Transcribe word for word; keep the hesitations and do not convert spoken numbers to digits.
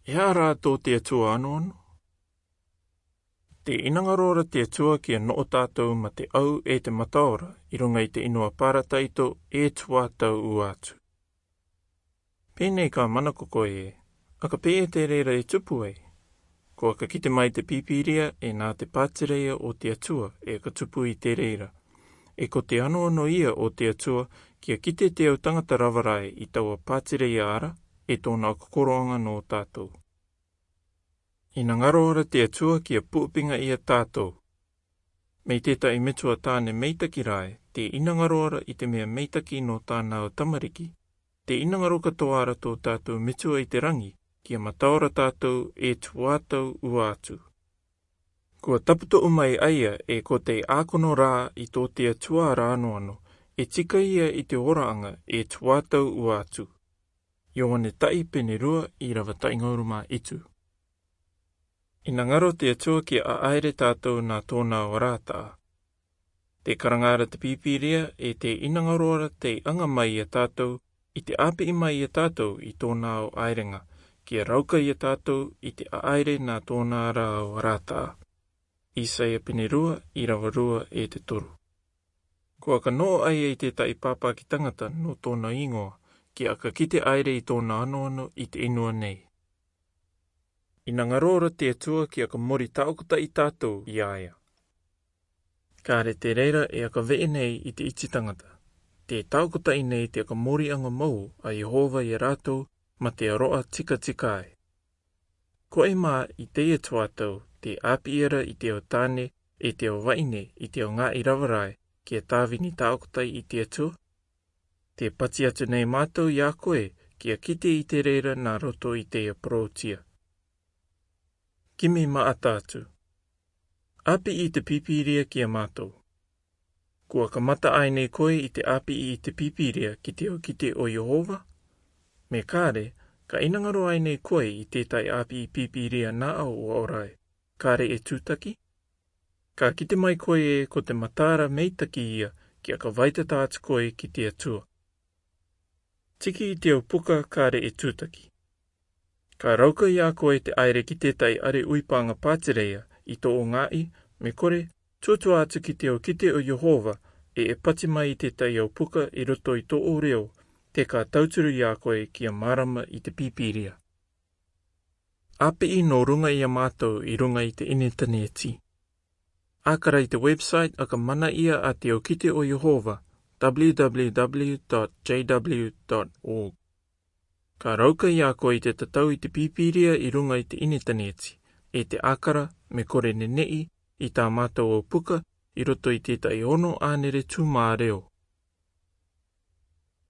E aha rā tō te Atua anō anō? Tē inangaroa ra te Atua kia noʻo tātou mā te ʻau ʻe te mataora i ruŋa i te inua parataito e tuatau ua atu. Pēnei ka manako koe ē, aka pēʻē te reira e tupu ai? Ko aka kite mai te Pīpīria ē nā te pātireia o te Atua ē ka tupu i te reira. ʻE ko te anoano ia o te Atua kia kite te au taŋata rava rae i taua pātireia ara ē tōna koroaŋa nō tātou. Inangaroa ra te Atua kia puʻupiŋa ia tātou. Mai tētahi metua tāne meitaki rae, tē inangaroa ra i te mea meitaki nō tāna au tamariki, tē inangaro katoa ra tō tātou metua i te raŋi kia mataora tātou e tuatau ua atu. Kua taputoʻu mai a ia ē ko te ākono rā i tō te Atua ra anō anō, e tika ia i te oraʻaŋa e tuatau ua atu. Ioane taʻi pene rua ʻīrava taʻi ŋauru mā itu. Inangaro te Atua kia ʻaʻaere tātou nā tōna au arataʻa. Tē karaŋa ra te Pīpīria ē tē inangaroa ra tei aŋa mai ia tātou, i te ʻāpiʻi mai ia tātou i tōna au ʻaereŋa, kia rauka ia tātou i te ʻaʻaere nā tōna ra au arataʻa. Isaia pene rua, ʻīrava rua ʻe te toru. Ko aka noʻo a ia i tētahi pāpāki taŋata nō tōna iŋoa, kia aka kite ʻaere i tōna anoano i te inua nei. Inangaroa ra te Atua kia aka mori taʻokotaʻi tātou i a ia. Kāre te reira e aka veʻe nei i te iti taŋata. Tē taʻokotaʻi nei te aka mori aŋa mau a Iehova ia rātou mā te aroʻa tikatika ai. Ko e mā i teie tuatau, tē ʻāpiʻi ra i te au tāne ʻe te au vaʻine i te au ŋāʻi rava rae kia tāvini taʻokotaʻi i te Atua. Tē pati atu nei mātou i a koe kia kite i te reira nā roto i teie porōtia. Kimi maʻata atu. ʻĀpiʻi i te Pīpīria kia mātou. Kua kamata ʻae nei koe i te ʻāpiʻi i te Pīpīria ki te au kite o Iehova? Mea kāre, ka inangaro ʻae nei koe i tētahi ʻāpiʻi Pīpīria nā ʻau ua ora ai, kāre e tūtaki? Ka kite mai koe ē ko te mataara meitaki ia kia ka vaitata atu koe ki te Atua. Tiki i te au puka kāre e tūtaki. Ka rauka i a koe te ʻaere ki tētahi ʻare ʻuipāŋa pātireia i tō ʻou ŋāʻi, me kore, tuatua atu ki te au kite o Iehova ē e pati mai i tētahi au puka i roto i tō ʻou reo, tē ka tauturu i a koe kia mārama i te Pīpīria. ʻĀpiʻi nō ruŋa i a mātou i ruŋa i te ʻinitaneti. ʻĀkara i te website aka manaʻia a te au kite o Iehova, www.jw.org. Ka rauka i a koe i te tatau i te Pīpīria i ruŋa i te ʻinitaneti, ʻe te ʻākara, me kore neneʻi, i tā mātou au puka, i roto i tētahi ono ʻānere tūmā reo.